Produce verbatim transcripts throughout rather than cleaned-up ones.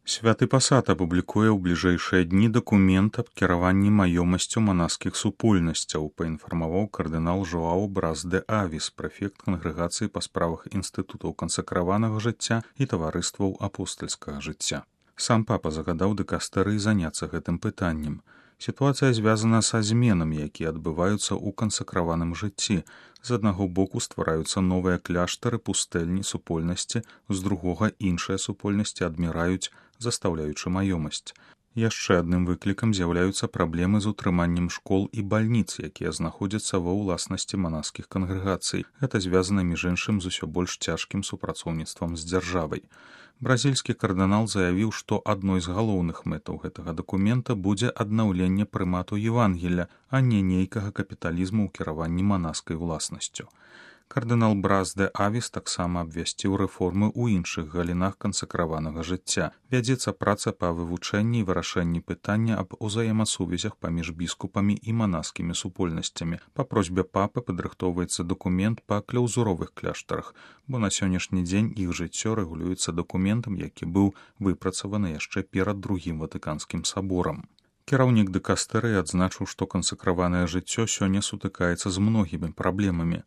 Святы пасад апублікуе ў бліжэйшыя дні дакумент аб кіраванні маёмасцю манаскіх супольнасцяў, паінфармаваў кардынал Жоаў Брас де Авіс, прэфект кангрэгацыі па справах інстытутаў кансакраванага жыцця і таварыстваў апостальскага жыцця. Сам папа загадаў дыкастэрыі заняцца гэтым пытаннем. Сітуацыя звязана са зменамі, якія адбываюцца ў кансакраваным жыцці. З аднаго боку ствараюцца новыя кляштары, пустэльні, супольнасці, з другога іншыя супольнасці адміраюць, застаўляючы маёмасць. Яшчэ адным выклікам з'яўляюцца праблемы з утрыманнем школ і бальніц, якія знаходзяцца ва ўласнасці манаскіх кангрэгацый. Гэта звязана між іншым з усё больш цяжкім супрацоўніцтвам з дзяржавай. Бразільскі кардынал заявіў, што адной з галоўных мэтаў гэтага дакумента будзе аднаўленне прымату Евангелля, а не нейкага капіталізму ў кіраванні манаскай уласнасцю. Кардынал Брас де Авіс таксама абвясціў рэформы ў іншых галінах кансакраванага жыцця. Вядзецца праца па вывучэнні і вырашэнні пытання аб узаемасувязях паміж біскупамі і манаскімі супольнасцямі. Па просьбе папы падрыхтоўваецца дакумент па кляўзуровых кляштарах, бо на сённяшні дзень іх жыццё рэгулюецца дакументам, які быў выпрацаваны яшчэ перад другім ватыканскім саборам. Кіраўнік дыкастэрыі адзначыў, што кансакраванае жыццё сёння сутыкаецца з многімі праблемамі.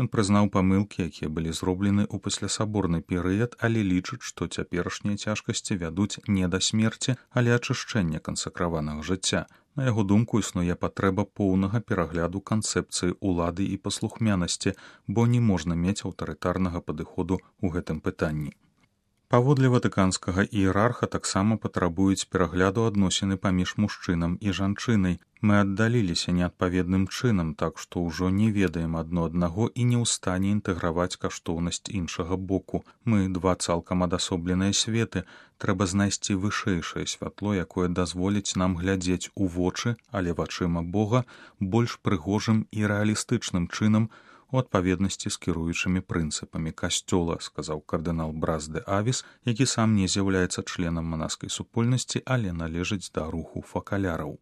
Ён прызнаў памылкі, якія былі зроблены ў паслясаборны перыяд, але лічыць, што цяперашнія цяжкасці вядуць не да смерці, але ачышчэння кансакраванага жыцця. На яго думку, існуе патрэба поўнага перагляду канцэпцыі ўлады і паслухмянасці, бо не можна мець аўтарытарнага падыходу ў гэтым пытанні. Паводле ватыканскага іерарха таксама патрабуюць перагляду адносіны паміж мужчынам і жанчынай. Мы аддаліліся неадпаведным чынам, так што ўжо не ведаем адно аднаго і не ў стане інтэграваць каштоўнасць іншага боку. Мы два цалкам адасобленыя светы. Трэба знайсці вышэйшае святло, якое дазволіць нам глядзець у вочы, але вачыма Бога, больш прыгожым і рэалістычным чынам, у адпаведнасці з кіруючымі прынцыпамі касцёла, сказаў кардынал Брас де Авіс, які сам не з'яўляецца членам манаскай супольнасці, але належыць да руху факаляраў.